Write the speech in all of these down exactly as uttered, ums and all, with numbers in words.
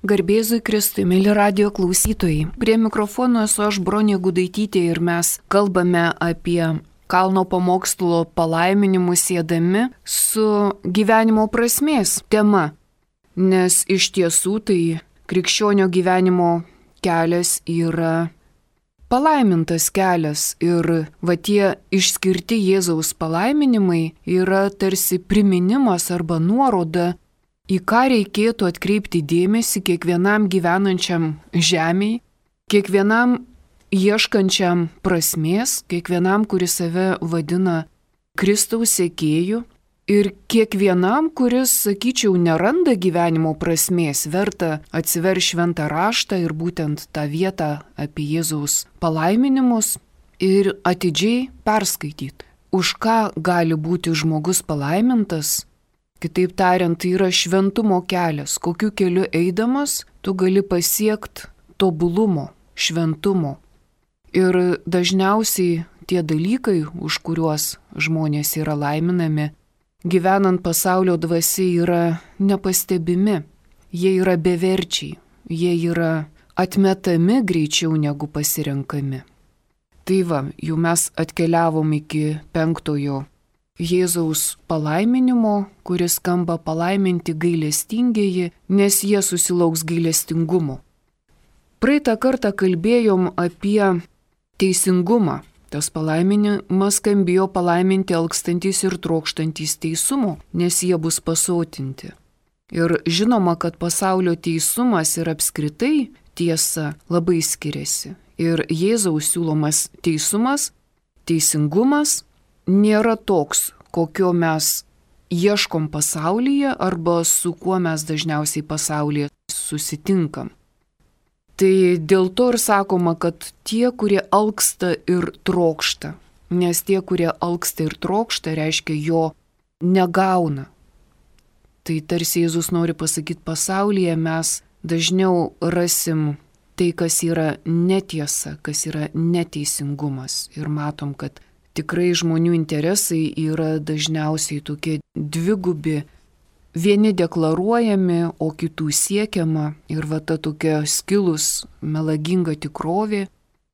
Garbėzui Kristui, mėly radio klausytojai. Prie mikrofono esu aš, Bronė Gudaitytė, ir mes kalbame apie kalno pamokslo palaiminimus siedami su gyvenimo prasmės tema. Nes iš tiesų tai krikščionio gyvenimo kelias yra palaimintas kelias ir va tie išskirti Jėzaus palaiminimai yra tarsi priminimas arba nuoroda, į ką reikėtų atkreipti dėmesį kiekvienam gyvenančiam žemėj, kiekvienam ieškančiam prasmės, kiekvienam, kuris save vadina Kristaus sekėju, ir kiekvienam, kuris, sakyčiau, neranda gyvenimo prasmės, verta atsiversti šventą raštą ir būtent tą vietą apie Jėzaus palaiminimus ir atidžiai perskaityti, už ką gali būti žmogus palaimintas. Kitaip tariant, tai yra šventumo kelias, kokiu keliu eidamas tu gali pasiekti tobulumo, šventumo. Ir dažniausiai tie dalykai, už kuriuos žmonės yra laiminami, gyvenant pasaulio dvasia, yra nepastebimi, jie yra beverčiai, jie yra atmetami greičiau negu pasirenkami. Tai va, jau mes atkeliavom iki penktojo Jėzaus palaiminimo, kuris skamba palaiminti gailestingieji, nes jie susilauks gailestingumo. Praeitą kartą kalbėjom apie teisingumą. Tas palaiminimas skambėjo palaiminti alkstantys ir trokštantys teisumo, nes jie bus pasotinti. Ir žinoma, kad pasaulio teisumas ir apskritai tiesa labai skiriasi. Ir Jėzaus siūlomas teisumas, teisingumas nėra toks, kokio mes ieškom pasaulyje arba su kuo mes dažniausiai pasaulyje susitinkam. Tai dėl to ir sakoma, kad tie, kurie alksta ir trokšta, nes tie, kurie alksta ir trokšta, reiškia jo negauna. Tai tarsi Jėzus nori pasakyti, pasaulyje mes dažniau rasim tai, kas yra netiesa, kas yra neteisingumas. Ir matom, kad tikrai žmonių interesai yra dažniausiai tokie dvigubi, vieni deklaruojami, o kitų siekiama. Ir va ta tokia skilus, melaginga tikrovė,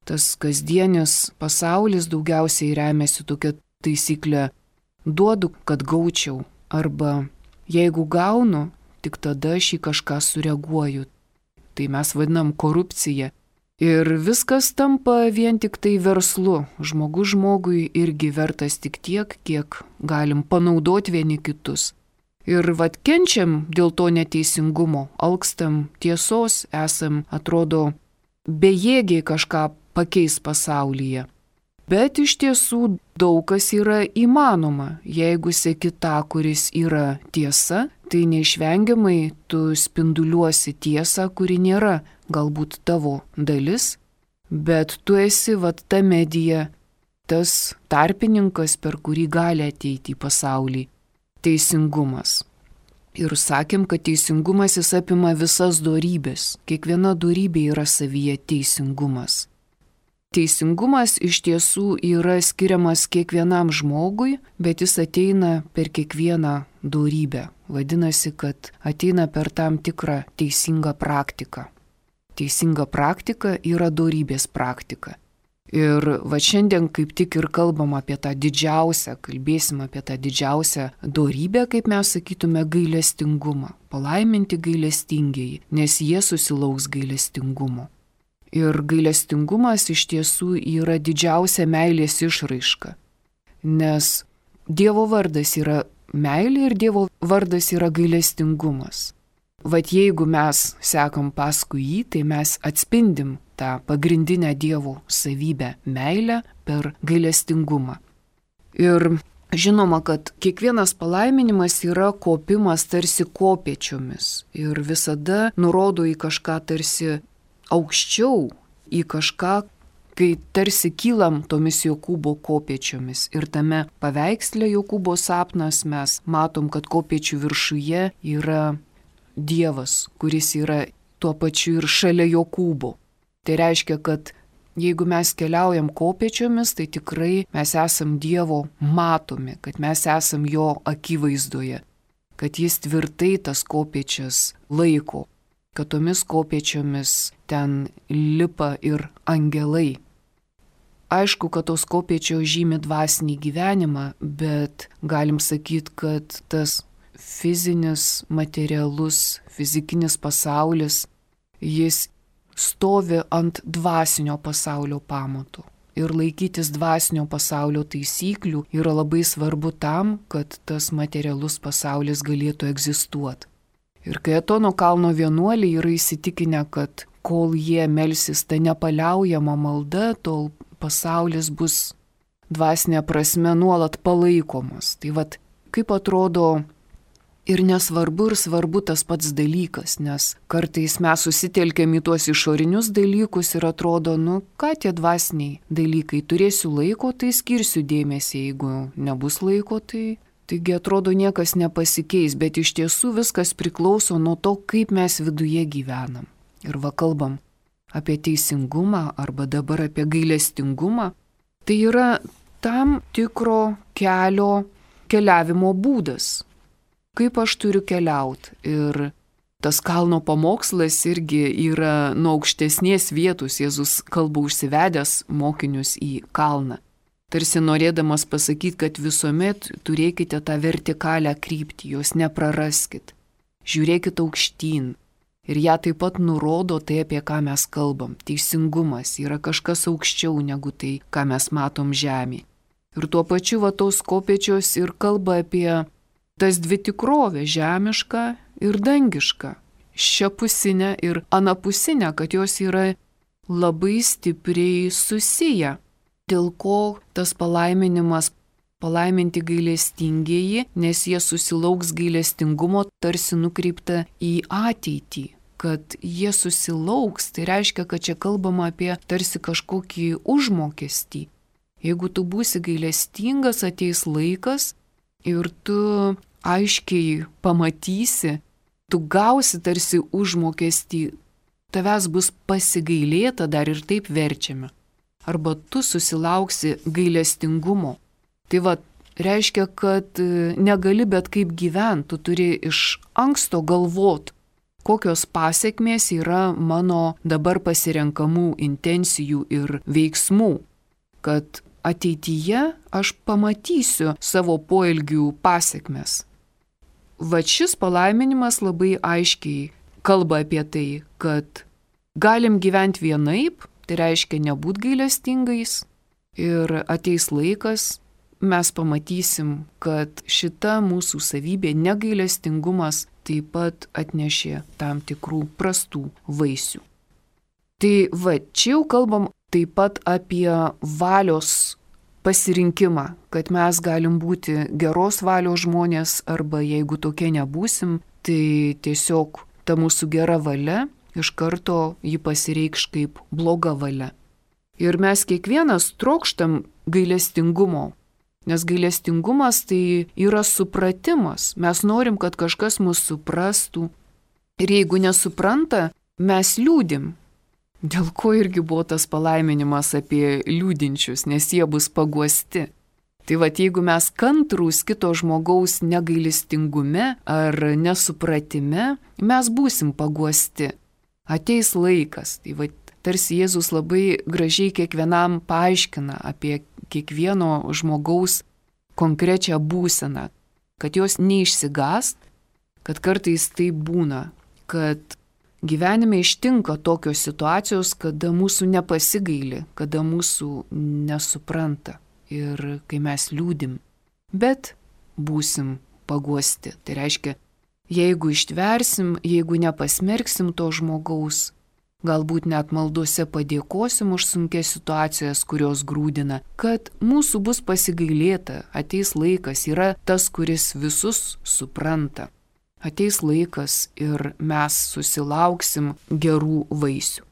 tas kasdienis pasaulis daugiausiai remiasi tokia taisyklė: duodu, kad gaučiau, arba jeigu gaunu, tik tada aš į kažką sureaguoju. Tai mes vadinam korupcija. Ir viskas tampa vien tik tai verslu. Žmogus žmogui irgi vertas tik tiek, kiek galim panaudoti vieni kitus. Ir vat kenčiam dėl to neteisingumo, alkstam tiesos, esam, atrodo, bejėgiai kažką pakeis pasaulyje. Bet iš tiesų daug kas yra įmanoma. Jeigu seki tą, kuris yra tiesa, tai neišvengiamai tu spinduliuosi tiesą, kuri nėra galbūt tavo dalis, bet tu esi vat ta medija, tas tarpininkas, per kurį gali ateiti į pasaulį teisingumas. Ir sakėm, kad teisingumas jis apima visas dorybės. Kiekviena dorybė yra savyje teisingumas. Teisingumas iš tiesų yra skiriamas kiekvienam žmogui, bet jis ateina per kiekvieną dorybę. Vadinasi, kad ateina per tam tikrą teisingą praktiką. Teisinga praktika yra dorybės praktika. Ir va šiandien kaip tik ir kalbam apie tą didžiausią, kalbėsim apie tą didžiausią dorybę, kaip mes sakytume, gailestingumą. Palaiminti gailestingieji, nes jie susilauks gailestingumo. Ir gailestingumas iš tiesų yra didžiausia meilės išraiška. Nes Dievo vardas yra meilė ir Dievo vardas yra gailestingumas. Vat jeigu mes sekam paskui jį, tai mes atspindim tą pagrindinę Dievo savybę meilę per gailestingumą. Ir žinoma, kad kiekvienas palaiminimas yra kopimas tarsi kopėčiomis ir visada nurodo į kažką tarsi aukščiau, į kažką, kai tarsi kylam tomis Jokūbo kopėčiomis. Ir tame paveiksle Jokūbo sapnas mes matom, kad kopėčių viršuje yra Dievas, kuris yra tuo pačiu ir šalia Jokūbo. Tai reiškia, kad jeigu mes keliaujam kopėčiomis, tai tikrai mes esam Dievo matomi, kad mes esam jo akivaizdoje, kad jis tvirtai tas kopėčias laiko, kad tomis kopėčiomis ten lipa ir angelai. Aišku, kad tos kopėčios žymi dvasinį gyvenimą, bet galim sakyti, kad tas fizinis, materialus, fizikinis pasaulis, jis stovi ant dvasinio pasaulio pamatų. Ir laikytis dvasinio pasaulio taisyklių yra labai svarbu tam, kad tas materialus pasaulis galėtų egzistuoti. Ir kai Atono kalno vienuoliai yra įsitikinę, kad kol jie melsis ta nepaliaujama malda, tol pasaulis bus dvasinė prasme nuolat palaikomas. Tai vat, kaip atrodo ir nesvarbu ir svarbu tas pats dalykas, nes kartais mes susitelkėm į tuos išorinius dalykus ir atrodo, nu ką tie dvasiniai dalykai, turėsiu laiko, tai skirsiu dėmesį, jeigu nebus laiko, tai taigi atrodo niekas nepasikeis, bet iš tiesų viskas priklauso nuo to, kaip mes viduje gyvenam. Ir va kalbam apie teisingumą arba dabar apie gailestingumą, tai yra tam tikro kelio keliavimo būdas. Kaip aš turiu keliauti. Ir tas kalno pamokslas irgi yra nuo aukštesnės vietos. Jėzus kalba užsivedęs mokinius į kalną. Tarsi norėdamas pasakyti, kad visuomet turėkite tą vertikalią kryptį, jos nepraraskit. Žiūrėkit aukštyn. Ir ją taip pat nurodo tai, apie ką mes kalbam. Teisingumas yra kažkas aukščiau negu tai, ką mes matom žemėje. Ir tuo pačiu va tos kopėčios ir kalba apie tas dvi tikrovės, žemišką ir dangišką, šiapusinę ir anapusinę, kad jos yra labai stipriai susiję. Dėl ko tas palaiminimas, palaiminti gailestingieji, nes jie susilauks gailestingumo tarsi nukreipta į ateitį. Kad jie susilauks, tai reiškia, kad čia kalbama apie tarsi kažkokį užmokestį. Jeigu tu būsi gailestingas, ateis laikas ir tu aiškiai pamatysi, tu gausi tarsi užmokestį, tavęs bus pasigailėta, dar ir taip verčiame. Arba tu susilauksi gailestingumo. Tai va, reiškia, kad negali bet kaip gyventi, tu turi iš anksto galvoti, kokios pasiekmės yra mano dabar pasirenkamų intencijų ir veiksmų, kad ateityje aš pamatysiu savo poelgių pasiekmes. Va šis palaiminimas labai aiškiai kalba apie tai, kad galim gyventi vienaip, tai reiškia nebūt gailestingais, ir ateis laikas, mes pamatysim, kad šita mūsų savybė, negailestingumas, taip pat atnešė tam tikrų prastų vaisių. Tai va, čia jau kalbam taip pat apie valios pasirinkimą, kad mes galim būti geros valios žmonės, arba jeigu tokie nebūsim, tai tiesiog ta mūsų gera valia iš karto jį pasireikš kaip bloga valia. Ir mes kiekvienas trokštam gailestingumo, nes gailestingumas tai yra supratimas. Mes norim, kad kažkas mus suprastų. Ir jeigu nesupranta, mes liūdim. Dėl ko irgi buvo tas palaiminimas apie liūdinčius, nes jie bus paguosti. Tai va, jeigu mes kantrūs kito žmogaus negailestingume ar nesupratime, mes būsim paguosti. Ateis laikas. Tai va, tarsi Jėzus labai gražiai kiekvienam paaiškina apie kiekvieno žmogaus konkrečią būseną, kad jos neišsigąst, kad kartais tai būna, kad gyvenime ištinka tokios situacijos, kada mūsų nepasigaili, kada mūsų nesupranta ir kai mes liūdim, bet būsim paguosti. Tai reiškia, jeigu ištversim, jeigu nepasmerksim to žmogaus, galbūt net maldose padėkosim už sunkias situacijas, kurios grūdina, kad mūsų bus pasigailėta, ateis laikas, yra tas, kuris visus supranta. Ateis laikas ir mes susilauksim gerų vaisių.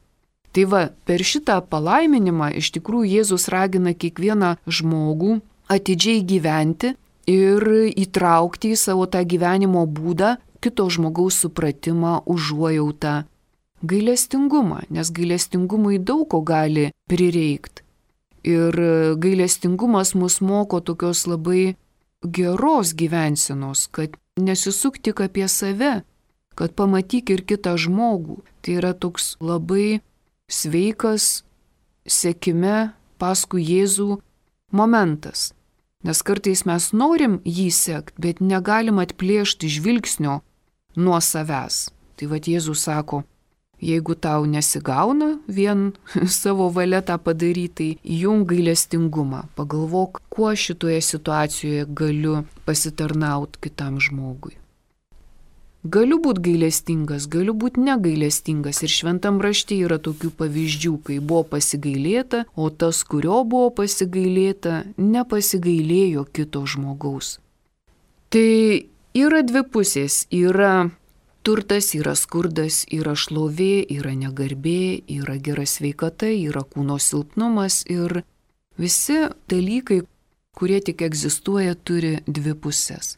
Tai va, per šitą palaiminimą iš tikrųjų Jėzus ragina kiekvieną žmogų atidžiai gyventi ir įtraukti į savo tą gyvenimo būdą kito žmogaus supratimą, užuojautą, gailestingumą, nes gailestingumui daug ko gali prireikti. Ir gailestingumas mus moko tokios labai geros gyvensenos, kad nesisuk tik apie save, kad pamatyk ir kitą žmogų. Tai yra toks labai sveikas sekime paskui Jėzų momentas. Nes kartais mes norim jį sekti, bet negalim atplėšti žvilgsnio nuo savęs. Tai vad Jėzus sako, jeigu tau nesigauna vien savo valia tą padaryti, tai įjung gailestingumą. Pagalvok, kuo šitoje situacijoje galiu pasitarnauti kitam žmogui. Galiu būti gailestingas, galiu būti negailestingas. Ir šventam rašte yra tokių pavyzdžių, kai buvo pasigailėta, o tas, kurio buvo pasigailėta, nepasigailėjo kito žmogaus. Tai yra dvi pusės. Yra turtas, yra skurdas, yra šlovė, yra negarbė, yra gera sveikata, yra kūno silpnumas. Ir visi dalykai, kurie tik egzistuoja, turi dvi pusės.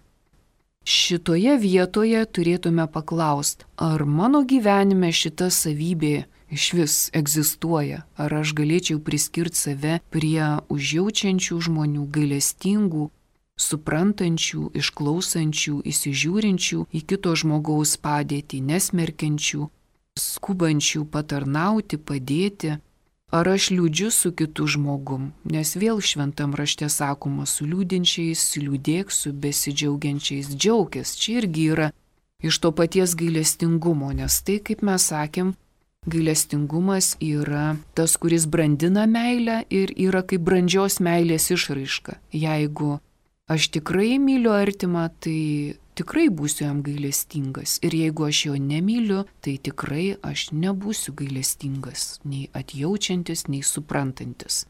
Šitoje vietoje turėtume paklausti, ar mano gyvenime šita savybė iš vis egzistuoja, ar aš galėčiau priskirti save prie užjaučiančių žmonių, gailestingų, suprantančių, išklausančių, įsižiūrinčių į kito žmogaus padėtį, nesmerkiančių, skubančių patarnauti, padėti. Ar aš liūdžiu su kitu žmogum, nes vėl šventam rašte sakoma, su liūdinčiais liūdėk, su besidžiaugiančiais džiaukis. Čia irgi yra iš to paties gailestingumo, nes tai, kaip mes sakėm, gailestingumas yra tas, kuris brandina meilę ir yra kaip brandžios meilės išraiška. Jeigu aš tikrai myliu artimą, tai tikrai būsiu jam gailestingas. Ir jeigu aš jo nemyliu, tai tikrai aš nebūsiu gailestingas, nei atjaučiantis, nei suprantantis.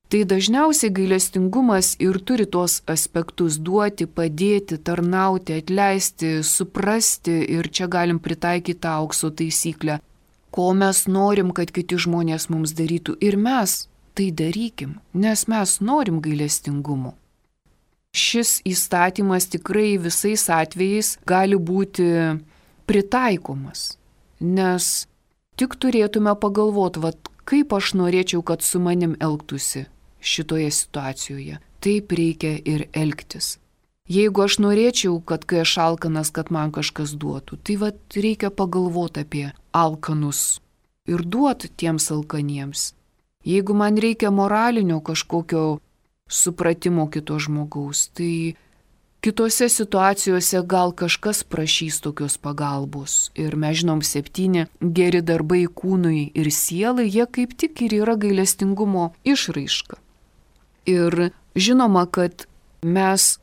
Tai dažniausiai gailestingumas ir turi tuos aspektus duoti, padėti, tarnauti, atleisti, suprasti, ir čia galim pritaikyti tą aukso taisyklę. Ko mes norim, kad kiti žmonės mums darytų, ir mes tai darykim, nes mes norim gailestingumo. Šis įstatymas tikrai visais atvejais gali būti pritaikomas, nes tik turėtume pagalvoti, vat, kaip aš norėčiau, kad su manim elgtųsi šitoje situacijoje. Taip reikia ir elgtis. Jeigu aš norėčiau, kad kai aš alkanas, kad man kažkas duotų, tai vat, reikia pagalvoti apie alkanus ir duoti tiems alkaniems. Jeigu man reikia moralinio kažkokio supratimo kito žmogaus, tai kitose situacijose gal kažkas prašys tokios pagalbos. Ir mes žinom, septyni geri darbai kūnui ir sielai, jie kaip tik ir yra gailestingumo išraiška. Ir žinoma, kad mes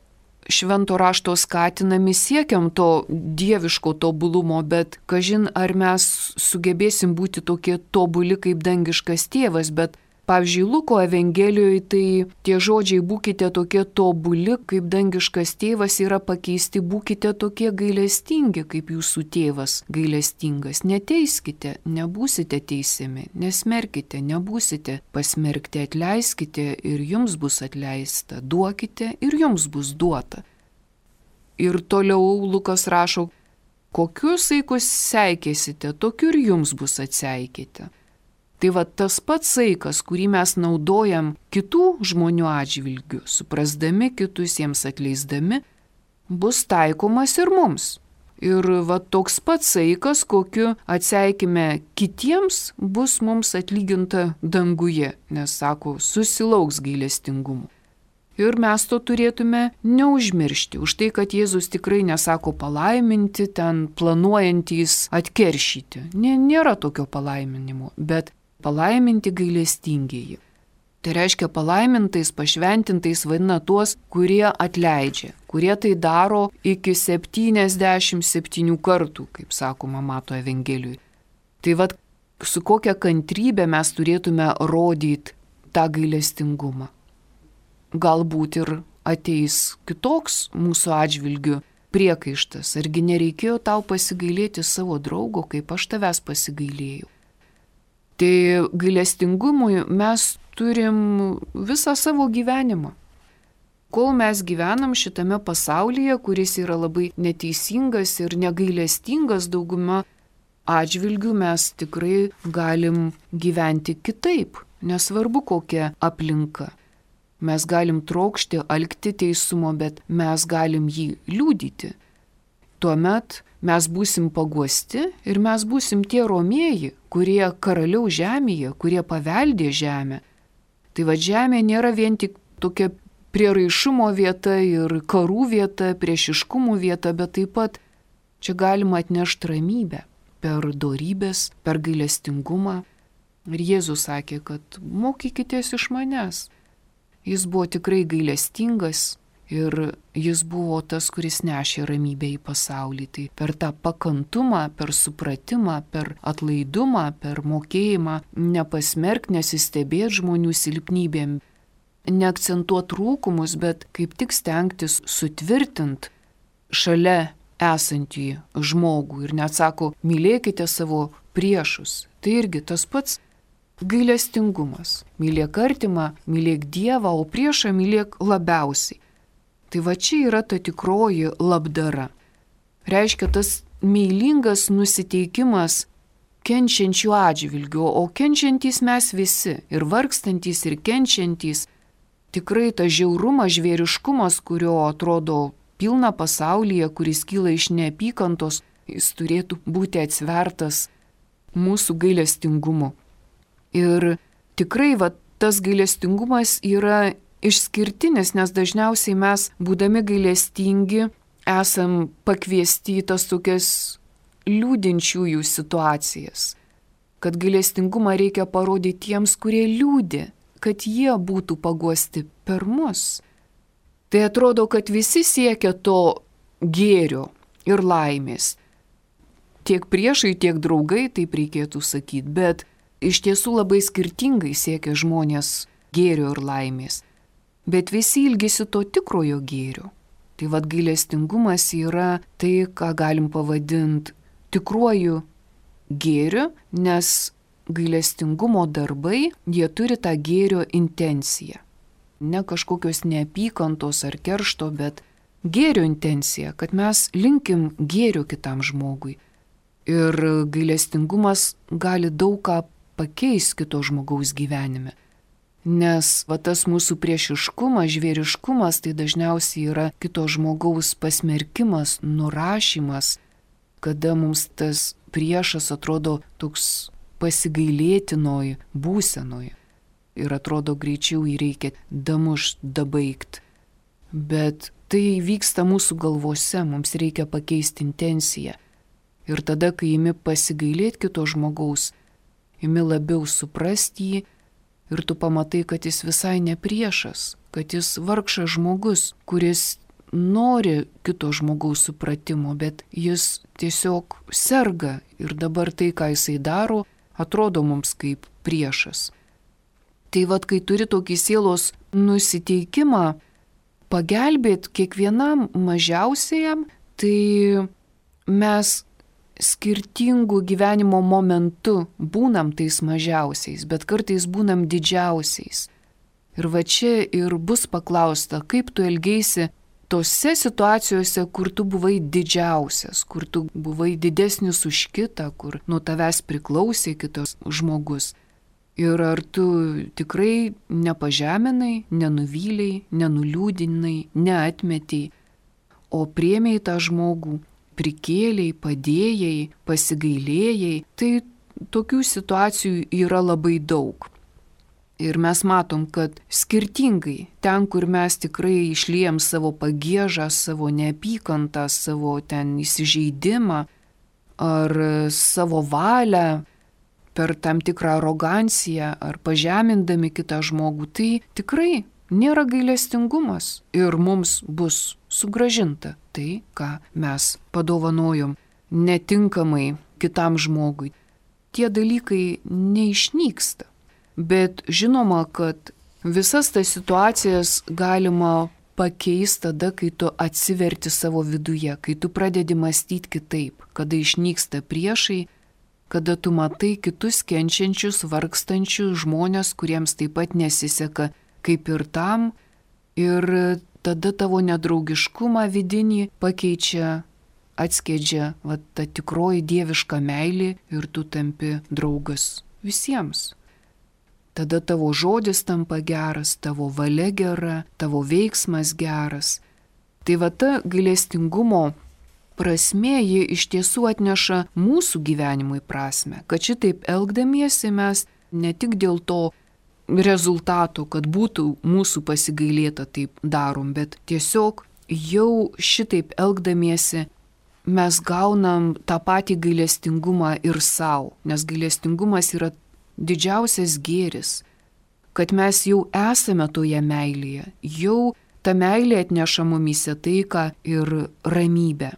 švento rašto skatinami siekiam to dieviško tobulumo, bet kažin ar mes sugebėsim būti tokie tobuli kaip dangiškas tėvas, bet pavyzdžiui, Luko Evangelijoje tai tie žodžiai būkite tokie tobuli, kaip dangiškas tėvas yra pakeisti būkite tokie gailestingi, kaip jūsų tėvas gailestingas. Neteiskite, nebūsite teisiami, nesmerkite, nebūsite pasmerkti, atleiskite ir jums bus atleista, duokite ir jums bus duota. Ir toliau Lukas rašo, kokius saikus seikėsite, tokiu ir jums bus atseikėte. Tai va tas pats saikas, kurį mes naudojam kitų žmonių atžvilgių, suprasdami kitus, jiems atleisdami, bus taikomas ir mums. Ir va toks pats saikas, kokiu atseikime kitiems, bus mums atlyginta danguje, nes sako, susilauks gailestingumu. Ir mes to turėtume neužmiršti, už tai, kad Jėzus tikrai nesako palaiminti, ten planuojantys atkeršyti. Nėra tokio palaiminimo, bet palaiminti gailestingieji. Tai reiškia palaimintais, pašventintais vadina tuos, kurie atleidžia, kurie tai daro iki septyniasdešimt septynių kartų, kaip sakoma Mato Evangelijoje. Tai vad, su kokia kantrybė mes turėtume rodyti tą gailestingumą. Galbūt ir ateis kitoks mūsų atžvilgių priekaištas, argi nereikėjo tau pasigailėti savo draugo, kaip aš tavęs pasigailėjau. Tai gailestingumui mes turim visą savo gyvenimą. Kol mes gyvenam šitame pasaulyje, kuris yra labai neteisingas ir negailestingas dauguma atžvilgių, mes tikrai galim gyventi kitaip, nesvarbu kokia aplinka. Mes galim trokšti, alkti teisumo, bet mes galim jį liudyti. tuomet mes būsim paguosti ir mes būsim tie romieji, kurie karaliau žemėje, kurie paveldė žemę. Tai va žemė nėra vien tik tokia prieraišumo vieta ir karų vieta, priešiškumų vieta, bet taip pat čia galima atnešti ramybę per dorybės, per gailestingumą. Ir Jėzus sakė, kad mokykitės iš manęs. Jis buvo tikrai gailestingas ir jis buvo tas, kuris nešė ramybę į pasaulį. Tai per tą pakantumą, per supratimą, per atlaidumą, per mokėjimą nepasmerk, nesistebėt žmonių silpnybėm, neakcentuot trūkumus, bet kaip tik stengtis sutvirtint šalia esantį žmogų ir net sako, mylėkite savo priešus. Tai irgi tas pats gailestingumas. Mylėk artimą, mylėk Dievą, o priešą mylėk labiausiai. Tai va čia yra ta tikroji labdara. Reiškia tas meilingas nusiteikimas kenčiančių atžvilgių, o kenčiantys mes visi, ir vargstantys, ir kenčiantys. Tikrai tas žiaurumas, žvėriškumas, kurio atrodo pilna pasaulyje, kuris kyla iš neapykantos, jis turėtų būti atsvertas mūsų gailestingumu. Ir tikrai va, tas gailestingumas yra išskirtinis, nes dažniausiai mes, būdami gailestingi, esam pakviesti į tas tokias liūdinčiųjų situacijas. Kad gailestingumą reikia parodyti tiems, kurie liūdi, kad jie būtų paguosti per mus. Tai atrodo, kad visi siekia to gėrio ir laimės. Tiek priešai, tiek draugai, taip reikėtų sakyti, bet iš tiesų labai skirtingai siekia žmonės gėrio ir laimės. Bet visi ilgisi to tikrojo gėrio. Tai vad gailestingumas yra tai, ką galim pavadinti tikruoju gėriu, nes gailestingumo darbai, jie turi tą gėrio intenciją. Ne kažkokios neapykantos ar keršto, bet gėrio intencija, kad mes linkim gėrio kitam žmogui. Ir gailestingumas gali daug ką pakeisti kito žmogaus gyvenime. Nes va, tas mūsų priešiškumas, žvėriškumas, tai dažniausiai yra kito žmogaus pasmerkimas, nurašymas, kada mums tas priešas atrodo toks pasigailėtinoj būsenoj. Ir atrodo greičiau jį reikia damušt, dabaigt. Bet tai vyksta mūsų galvose, mums reikia pakeisti intenciją. Ir tada, kai imi pasigailėti kito žmogaus, imi labiau suprasti jį ir tu pamatai, kad jis visai ne priešas, kad jis vargšas žmogus, kuris nori kito žmogaus supratimo, bet jis tiesiog serga ir dabar tai, ką jisai daro, atrodo mums kaip priešas. Tai vad, kai turi tokį sielos nusiteikimą pagelbėti kiekvienam mažiausiajam, tai mes skirtingų gyvenimo momentų būnam tais mažiausiais, bet kartais būnam didžiausiais. Ir va čia ir bus paklausta, kaip tu elgeisi tose situacijose, kur tu buvai didžiausias, kur tu buvai didesnis už kitą, kur nuo tavęs priklausė kitas žmogus. Ir ar tu tikrai nepažeminai, nenuvyliai, nenuliūdinai, neatmetei, o priėmei tą žmogų, prikėliai, padėjai, pasigailėjai, tai tokių situacijų yra labai daug. Ir mes matom, kad skirtingai ten, kur mes tikrai išliejam savo pagiežą, savo neapykantą, savo ten įsižeidimą ar savo valią, per tam tikrą aroganciją ar pažemindami kitą žmogų, tai tikrai nėra gailestingumas ir mums bus sugražinta tai, ką mes padovanojom netinkamai kitam žmogui. Tie dalykai neišnyksta, bet žinoma, kad visas tas situacijas galima pakeisti tada, kai tu atsiverti savo viduje, kai tu pradedi mąstyti kitaip, kada išnyksta priešai, kada tu matai kitus kenčiančius, vargstančius žmonės, kuriems taip pat nesiseka kaip ir tam, ir tada tavo nedraugiškumą vidinį pakeičia, atskiedžia va, ta tikroji dieviška meilė ir tu tampi draugas visiems. Tada tavo žodis tampa geras, tavo valia gera, tavo veiksmas geras. Tai va ta gailestingumo prasmė, ji iš tiesų atneša mūsų gyvenimui prasme, kad šitaip elgdamiesi mes ne tik dėl to rezultato, kad būtų mūsų pasigailėta taip darom, bet tiesiog jau šitaip elgdamiesi mes gaunam tą patį gailestingumą ir savo, nes gailestingumas yra didžiausias gėris, kad mes jau esame toje meilėje, jau ta meilė atneša mumyse taiką ir ramybę.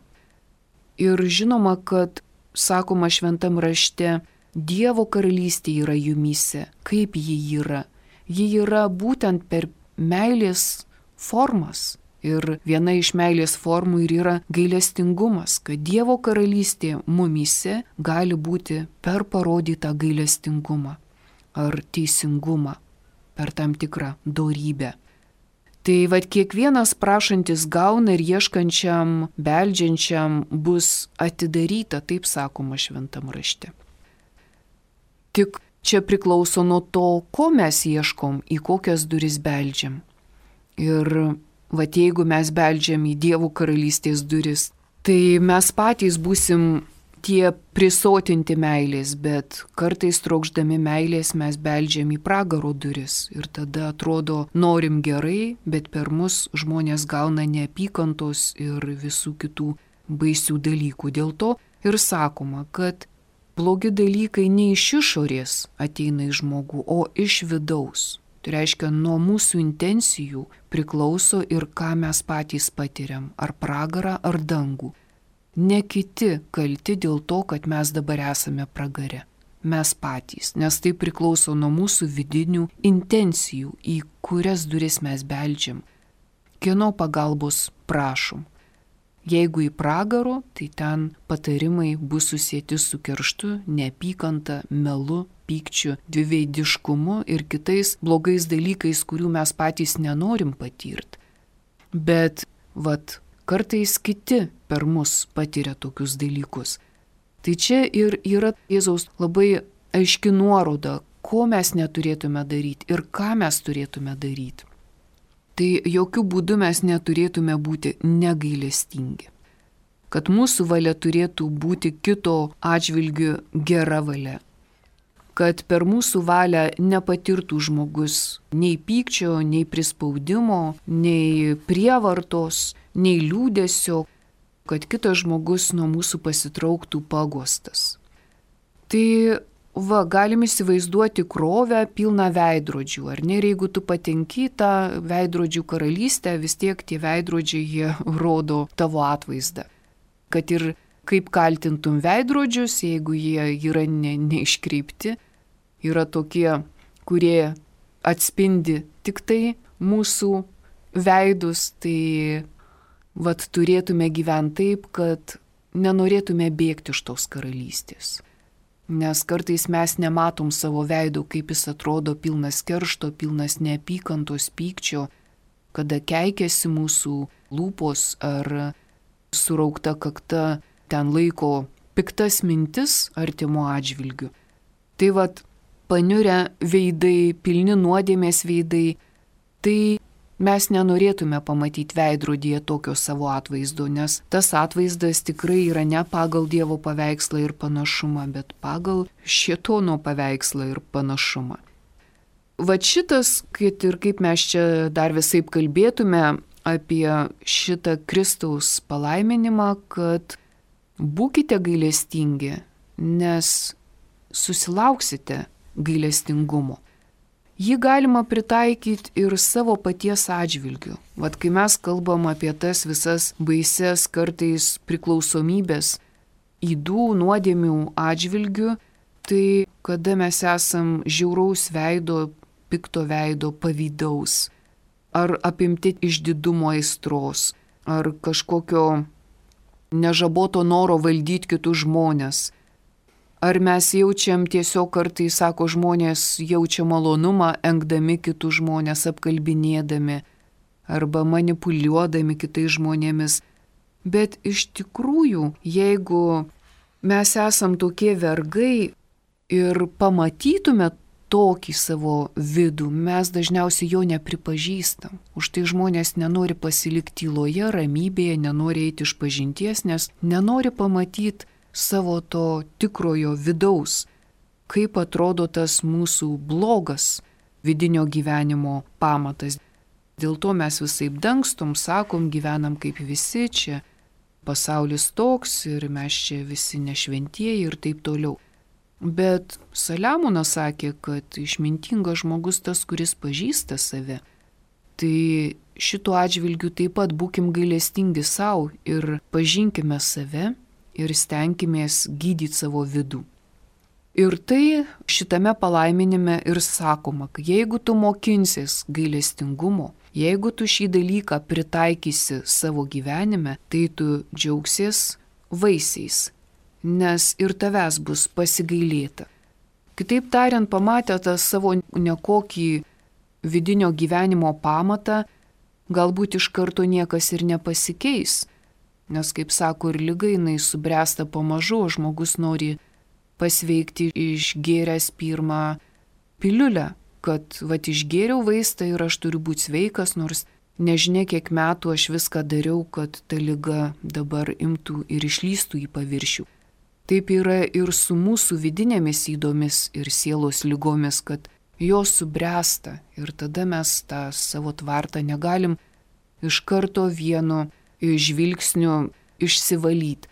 Ir žinoma, kad, sakoma šventam rašte, Dievo karalystė yra jumyse. Kaip ji yra? Ji yra būtent per meilės formas. Ir viena iš meilės formų ir yra gailestingumas, kad Dievo karalystė mumyse gali būti per parodytą gailestingumą ar teisingumą, per tam tikrą dorybę. Tai vad kiekvienas prašantis gauna ir ieškančiam, beldžiančiam bus atidaryta, taip sakoma šventam rašte. Tik čia priklauso nuo to, ko mes ieškom, į kokias duris beldžiam. Ir vat jeigu mes beldžiam į Dievo karalystės duris, tai mes patys būsim tie prisotinti meilės, bet kartais trokšdami meilės mes beldžiam į pragaro duris ir tada atrodo norim gerai, bet per mus žmonės gauna neapykantos ir visų kitų baisių dalykų. Dėl to ir sakoma, kad blogi dalykai ne iš išorės ateina į žmogų, o iš vidaus. Tai reiškia, nuo mūsų intencijų priklauso ir ką mes patys patiriam, ar pragarą, ar dangų. Ne kiti kalti dėl to, kad mes dabar esame pragare. Mes patys, nes tai priklauso nuo mūsų vidinių intencijų, į kurias duris mes beldžiam. Kieno pagalbos prašom. Jeigu į pragaro, tai ten patarimai bus susieti su kerštu, neapykanta, melu, pykčiu, dviveidiškumu ir kitais blogais dalykais, kurių mes patys nenorim patirti. Bet, vat, kartais kiti per mus patiria tokius dalykus. Tai čia ir yra Jėzaus labai aiški nuoroda, ko mes neturėtume daryti ir ką mes turėtume daryti. Tai jokių būdų mes neturėtume būti negailestingi. Kad mūsų valia turėtų būti kito atžvilgiu gera valia. Kad per mūsų valią nepatirtų žmogus nei pykčio, nei prispaudimo, nei prievartos, nei liūdesio, kad kitas žmogus nuo mūsų pasitrauktų pagostas. Tai va, galim įsivaizduoti krovę pilną veidrodžių, ar ne? Ir jeigu tu patenki tą veidrodžių karalystę, vis tiek tie veidrodžiai jie rodo tavo atvaizdą. Kad ir kaip kaltintum veidrodžius, jeigu jie yra ne, neiškreipti, yra tokie, kurie atspindi tik tai mūsų veidus, tai vat turėtume gyventi taip, kad nenorėtume bėgti iš tos karalystės. Nes kartais mes nematom savo veido, kaip jis atrodo pilnas keršto, pilnas neapykantos, pykčio, kada keikiasi mūsų lūpos ar suraukta kakta ten laiko piktas mintis artimo atžvilgiu. Tai vat paniurę veidai, pilni nuodėmės veidai, tai mes nenorėtume pamatyti veidrodyje tokio savo atvaizdo, nes tas atvaizdas tikrai yra ne pagal Dievo paveikslą ir panašumą, bet pagal šėtono paveikslą ir panašumą. Vat šitas, kad ir kaip mes čia dar visaip kalbėtume apie šitą Kristaus palaiminimą, kad būkite gailestingi, nes susilauksite gailestingumo. Jį galima pritaikyti ir savo paties atžvilgiu. Vat kai mes kalbam apie tas visas baises kartais priklausomybės ydų, nuodėmių atžvilgiu, tai kada mes esam žiauraus veido, pikto veido, pavydaus, ar apimti išdidumo aistros, ar kažkokio nežaboto noro valdyti kitus žmonės. Ar mes jaučiam tiesiog kartais, sako žmonės, jaučia malonumą, engdami kitus žmonės, apkalbinėdami arba manipuliuodami kitais žmonėmis. Bet iš tikrųjų, jeigu mes esam tokie vergai ir pamatytume tokį savo vidų, mes dažniausiai jo nepripažįstam. Už tai žmonės nenori pasilikti tyloje, ramybėje, nenori eiti iš pažinties, nes nenori pamatyti savo to tikrojo vidaus, kaip atrodo tas mūsų blogas vidinio gyvenimo pamatas. Dėl to mes visaip dangstom, sakom, gyvenam kaip visi, čia pasaulis toks ir mes čia visi nešventieji ir taip toliau. Bet Saliamonas sakė, kad išmintingas žmogus tas, kuris pažįsta save. Tai šituo atžvilgiu taip pat būkim gailestingi savo ir pažinkime save ir stenkimės gydyti savo vidų. Ir tai šitame palaiminime ir sakoma, kad jeigu tu mokinsies gailestingumo, jeigu tu šį dalyką pritaikysi savo gyvenime, tai tu džiaugsies vaisiais, nes ir tavęs bus pasigailėta. Kitaip tariant, pamatę tą savo nekokį vidinio gyvenimo pamatą, galbūt iš karto niekas ir nepasikeis, nes, kaip sako, ir liga jinai subręsta pamažu, žmogus nori pasveikti išgėręs pirmą piliulę, kad vat išgėriau vaistą ir aš turiu būti sveikas, nors nežinia kiek metų aš viską dariau, kad ta liga dabar imtų ir išlystų į paviršių. Taip yra ir su mūsų vidinėmis ydomis ir sielos lygomis, kad jos subręsta ir tada mes tą savo tvartą negalim iš karto vienu žvilgsniu išsivalyti,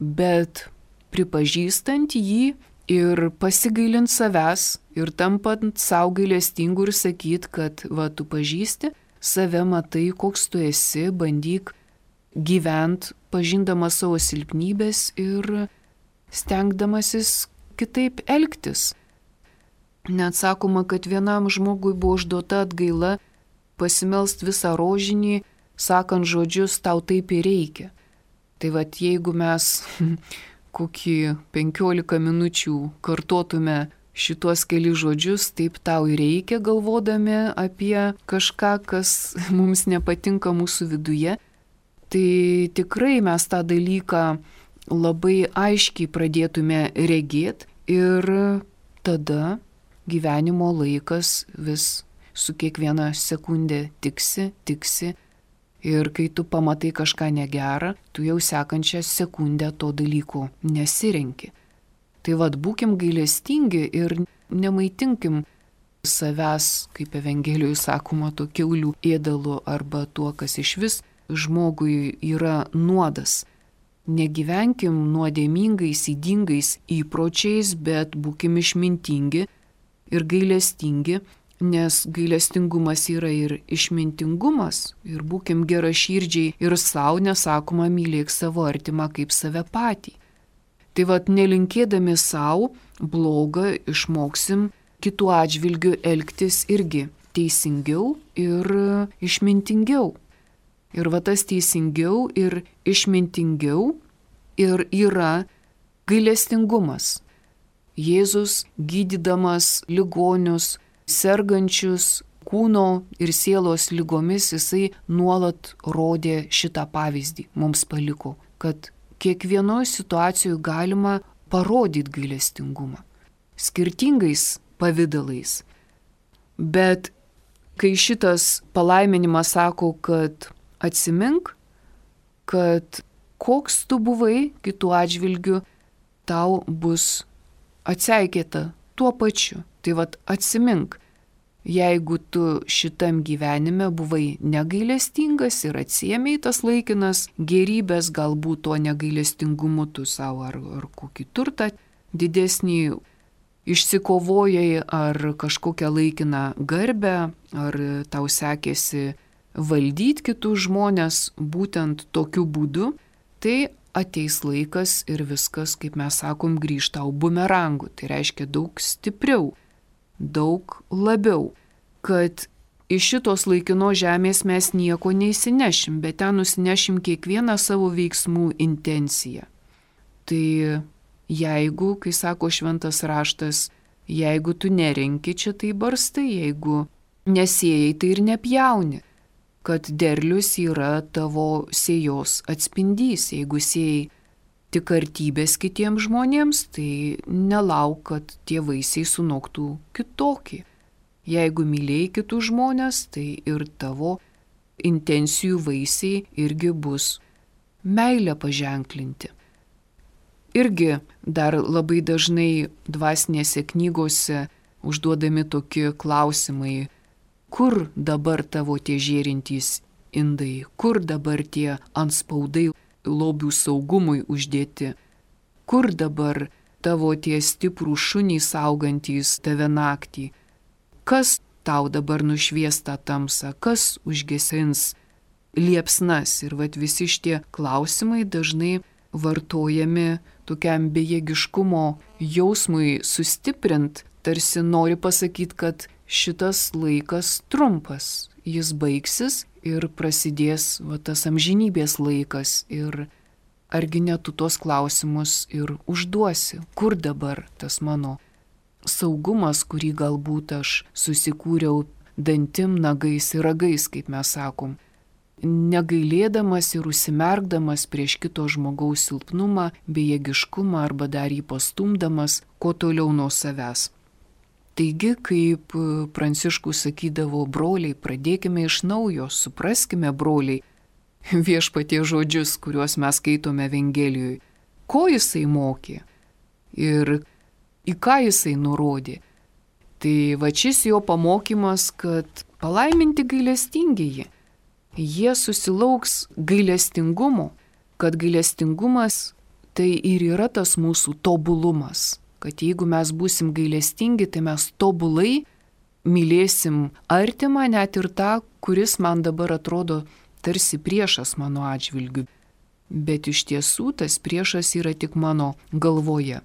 bet pripažįstant jį ir pasigailint savęs ir tampant savo gailestingu ir sakyt, kad va, tu pažįsti save, matai, koks tu esi, bandyk gyvent, pažindamas savo silpnybės ir stengdamasis kitaip elgtis. Net sakoma, kad vienam žmogui buvo užduota atgaila pasimelst visą rožinį, sakant žodžius, tau taip ir reikia. Tai vat jeigu mes kokį penkiolika minučių kartotume šitos keli žodžius, taip tau ir reikia, galvodami apie kažką, kas mums nepatinka mūsų viduje, tai tikrai mes tą dalyką labai aiškiai pradėtume regėti ir tada gyvenimo laikas vis su kiekviena sekundė tiksi, tiksi. Ir kai tu pamatai kažką negerą, tu jau sekančią sekundę to dalyko nesirenki. Tai vad, būkim gailestingi ir nemaitinkim savęs, kaip Evangelijoje sakoma, to kiaulių ėdalu arba tuo, kas iš vis žmogui yra nuodas. Negyvenkim nuodėmingais, ydingais įpročiais, bet būkim išmintingi ir gailestingi, nes gailestingumas yra ir išmintingumas, ir būkim geraširdžiai ir savo, nesakoma, mylėk savo artimą kaip save patį. Tai vad, nelinkėdami savo blogą, išmoksim kitų atžvilgių elgtis irgi teisingiau ir išmintingiau. Ir va tas teisingiau ir išmintingiau ir yra gailestingumas. Jėzus, gydydamas ligonius, sergančius kūno ir sielos lygomis, jisai nuolat rodė šitą pavyzdį, mums paliko, kad kiekvienoje situacijoje galima parodyti gailestingumą, skirtingais pavydalais. Bet kai šitas palaiminimas sako, kad atsimink, kad koks tu buvai kitų atžvilgių, tau bus atseikėta tuo pačiu. Tai vat atsimink, jeigu tu šitam gyvenime buvai negailestingas ir atsiėmei tas laikinas gerybės, galbūt to negailestingumu tu savo ar, ar kokį turtą didesnį išsikovojai, ar kažkokią laikiną garbę, ar tau sekėsi valdyti kitus žmonės būtent tokiu būdu, tai ateis laikas ir viskas, kaip mes sakom, grįžta tau bumerangu. Tai reiškia daug stipriau, daug labiau, kad iš šitos laikinos žemės mes nieko neįsinešim, bet ten nusinešim kiekvieną savo veiksmų intenciją. Tai jeigu, kai sako šventas raštas, jeigu tu nerenki, čia tai barstai, jeigu nesėjai, tai ir nepjauni, kad derlius yra tavo sėjos atspindys. Jeigu sėjai tik artybės kitiems žmonėms, tai nelauk, kad tie vaisiai sunoktų kitokį. Jeigu mylėjai kitus žmonės, tai ir tavo intencijų vaisiai irgi bus meilę paženklinti. Irgi dar labai dažnai dvasinėse knygose užduodami tokie klausimai, kur dabar tavo tie žėrintys indai, kur dabar tie anspaudai lobių saugumui uždėti, kur dabar tavo tie stiprų šunys saugantys tave naktį, kas tau dabar nušvies tą tamsą, kas užgesins liepsnas. Ir vat visi šitie klausimai dažnai vartojami tokiam bejėgiškumo jausmui sustiprint, tarsi nori pasakyti, kad šitas laikas trumpas, jis baigsis ir prasidės va, tas amžinybės laikas. Ir argi ne tu tos klausimus ir užduosi, kur dabar tas mano saugumas, kurį galbūt aš susikūriau dantim, nagais ir ragais, kaip mes sakom, negailėdamas ir užsimerkdamas prieš kito žmogaus silpnumą, bejėgiškumą arba dar jį pastumdamas, kuo toliau nuo savęs. Taigi, kaip Pranciškus sakydavo, broliai, pradėkime iš naujo, supraskime, broliai, viešpatie žodžius, kuriuos mes skaitome Evangelijoje. Ko jisai mokė ir į ką jisai nurodė. Tai va šis jo pamokymas, kad palaiminti gailestingieji. Jie susilauks gailestingumo, kad gailestingumas tai ir yra tas mūsų tobulumas. Kad jeigu mes būsim gailestingi, tai mes tobulai mylėsim artimą, net ir tą, kuris man dabar atrodo tarsi priešas mano atžvilgiu. Bet iš tiesų tas priešas yra tik mano galvoje.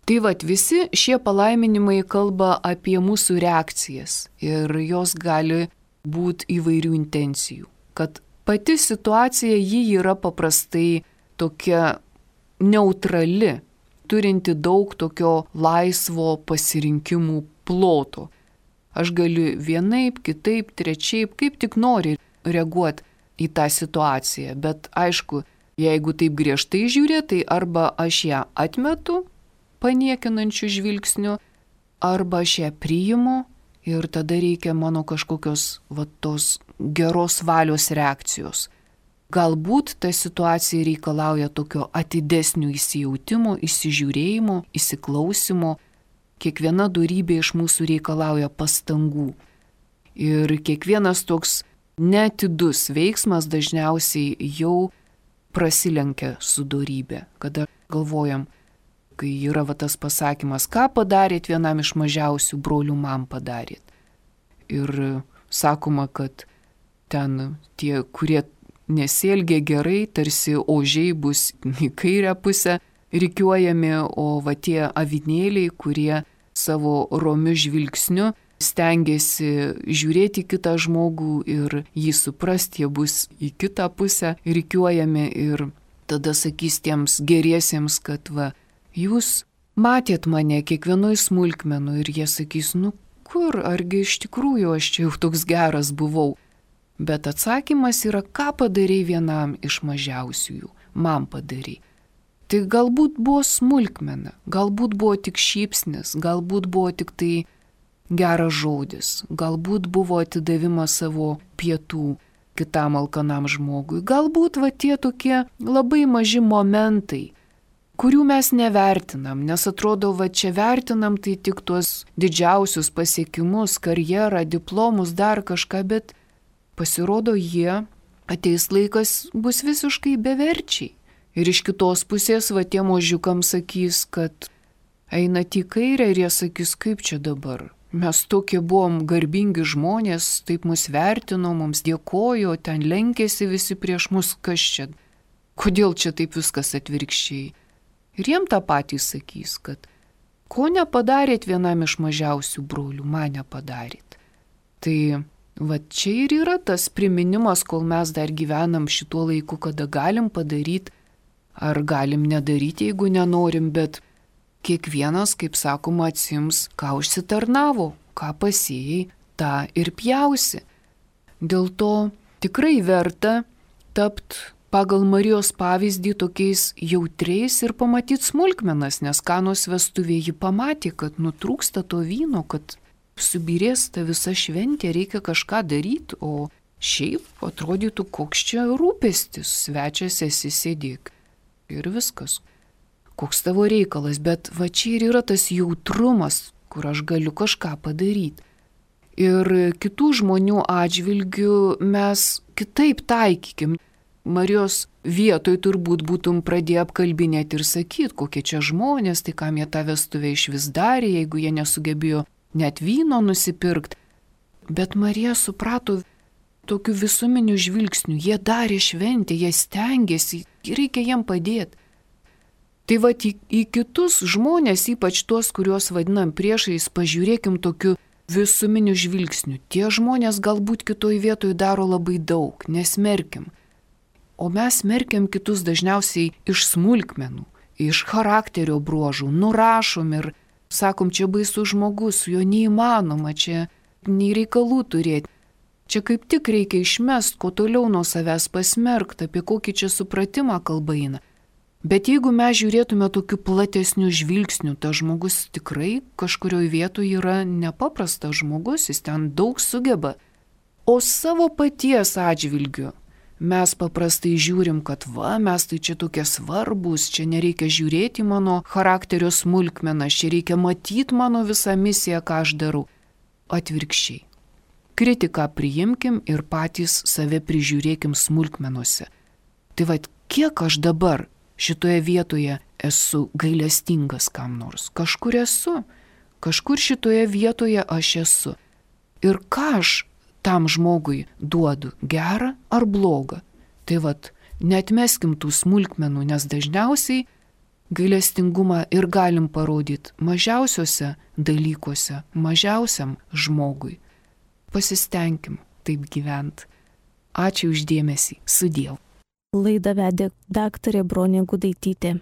Tai vat visi šie palaiminimai kalba apie mūsų reakcijas ir jos gali būti įvairių intencijų. Kad pati situacija ji yra paprastai tokia neutrali, turinti daug tokio laisvo pasirinkimų ploto. Aš galiu vienaip, kitaip, trečiaip, kaip tik nori reaguoti į tą situaciją. Bet aišku, jeigu taip griežtai žiūrė, tai arba aš ją atmetu paniekinančių žvilgsnių, arba aš ją priimu ir tada reikia mano kažkokios va, tos geros valios reakcijos. Galbūt ta situacija reikalauja tokio atidesnio įsijautimo, įsižiūrėjimo, įsiklausimo. Kiekviena dorybė iš mūsų reikalauja pastangų. Ir kiekvienas toks neatidus veiksmas dažniausiai jau prasilenkia su dorybė. Kada galvojam, kai yra va, tas pasakymas, ką padarėt vienam iš mažiausių brolių, man padarėt. Ir sakoma, kad ten tie, kurie nesielgia gerai, tarsi ožiai bus į kairę pusę rikiuojami, o va tie avinėliai, kurie savo romiu žvilgsniu stengiasi žiūrėti kitą žmogų ir jį suprasti, jie bus į kitą pusę rikiuojami ir tada sakys tiems geriesiems, kad va, jūs matėt mane kiekvienoj smulkmenų ir jie sakys, nu kur, argi iš tikrųjų aš čia jau toks geras buvau. Bet atsakymas yra, ką padarei vienam iš mažiausiųjų, man padarei. Tai galbūt buvo smulkmena, galbūt buvo tik šypsnis, galbūt buvo tik tai geras žodis, galbūt buvo atidavimas savo pietų kitam alkanam žmogui, galbūt va tie tokie labai maži momentai, kurių mes nevertinam, nes atrodo, va čia vertinam tai tik tuos didžiausius pasiekimus, karjerą, diplomus, dar kažką, bet pasirodo jie, ateis laikas, bus visiškai beverčiai. Ir iš kitos pusės, va tie možiukams sakys, kad einat į kairę ir jie sakys, kaip čia dabar. Mes tokie buvom garbingi žmonės, taip mus vertino, mums dėkojo, ten lenkėsi visi prieš mus, kas čia. Kodėl čia taip viskas atvirkščiai? Ir jiem tą patį sakys, kad ko nepadarėt vienam iš mažiausių brolių, man nepadarėt. Tai va čia ir yra tas priminimas, kol mes dar gyvenam šituo laiku, kada galim padaryti ar galim nedaryti, jeigu nenorim, bet kiekvienas, kaip sakoma, atsims, ką užsitarnavo, ką pasėjai, tą ir pjausi. Dėl to tikrai verta tapti pagal Marijos pavyzdį tokiais jautriais ir pamatyti smulkmenas, nes Kanos vestuvėje ji pamatė, kad nutrūksta to vyno, kad subirės ta visa šventė, reikia kažką daryti, o šiaip atrodytų, koks čia rūpestis, svečias esi, sėdėk ir viskas. Koks tavo reikalas, bet va čia ir yra tas jautrumas, kur aš galiu kažką padaryti. Ir kitų žmonių atžvilgių mes kitaip taikykim. Marijos vietoj turbūt būtum pradėję apkalbinėti ir sakyti, kokie čia žmonės, tai kam jie tą vestuvę iš vis darė, jeigu jie nesugebėjo net vyno nusipirkti. Bet Marija suprato tokiu visuminiu žvilgsniu, jie darė šventę, jie stengiasi, reikia jiem padėti. Tai va, į, į kitus žmonės, ypač tuos, kuriuos vadinam priešais, pažiūrėkim tokiu visuminiu žvilgsniu. Tie žmonės galbūt kitoj vietoj daro labai daug, nesmerkim. O mes smerkiam kitus dažniausiai iš smulkmenų, iš charakterio bruožų, nurašom ir sakom, čia baisus žmogus, su juo neįmanoma, čia nei reikalų turėti. Čia kaip tik reikia išmest, ko toliau nuo savęs pasmerkti, apie kokį čia supratimą kalba eina. Bet jeigu mes žiūrėtume tokiu platesniu žvilgsniu, tas žmogus tikrai kažkurioje vietoje yra nepaprastas žmogus, jis ten daug sugeba. O savo paties atžvilgiu mes paprastai žiūrim, kad va, mes tai čia tokie svarbus, čia nereikia žiūrėti mano charakterio smulkmenas, čia reikia matyti mano visą misiją, ką aš darau. Atvirkščiai. Kritiką priimkim ir patys save prižiūrėkim smulkmenuose. Tai va, kiek aš dabar šitoje vietoje esu gailestingas kam nors. Kažkur esu. Kažkur šitoje vietoje aš esu. Ir ką aš tam žmogui duodu, gerą ar blogą? Tai vat, neatmeskim tų smulkmenų, nes dažniausiai gailestingumą ir galim parodyti mažiausiuose dalykuose, mažiausiam žmogui. Pasistengim taip gyvent. Ačiū už dėmesį. Sudiev. Laidą vedė daktarė Bronė Gudaitytė.